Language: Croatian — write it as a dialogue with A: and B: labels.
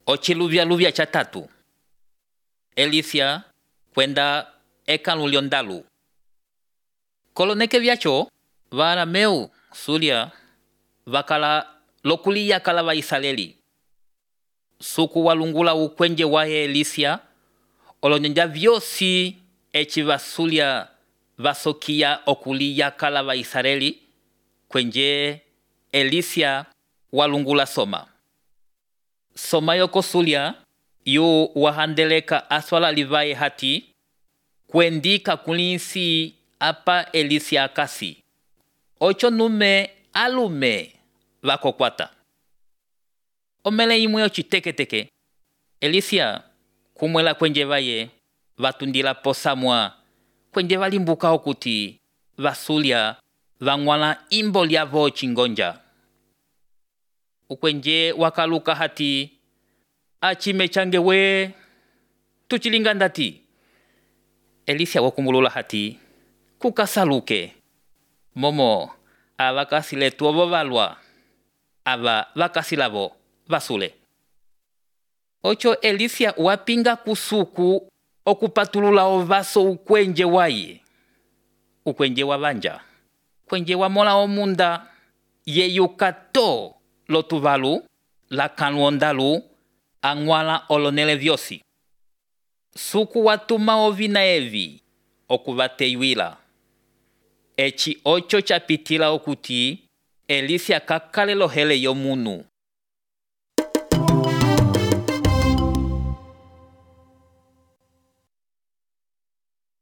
A: Ochiluvya cha tatu. Elisia kwenda ekalu lyondalu. Koloneke vyacho varameu sulia vakala lokulia kala Vaisraeli. Suku walungula ukwenje wae Elisia olonyanja vyosi echi vasulia vasokia okulia kala Vaisraeli kwenje Elisia walungula soma. Soma yoko sulia yu wahandeleka aswala livae hati kwendika kulinsi apa Elisia akasi. Ocho nume alume vakokwata. Omele imwe ochiteke Elisia kumwela kwenje vaye vatundila posamwa kwenje valimbuka okuti vasulia vangwala imbo lyavo chingonja. Ukwenje wakaluka hati achime change we tuchilinga ndati. Elisia wakumulula hati kukasaluke momo avakasile tuovo valwa ava vakasilavo vasule. Ocho Elisia wapinga kusuku okupatulula ovaso ukwenje waye. Ukwenje wavanja. Kwenje wamola omunda yeyukato lotuvalu la kanwondalu angwala olonele vyosi. Suku watuma ovina evi okuvateiwila. Echi ocho chapitila okuti Elisia kakale lohele yomunu.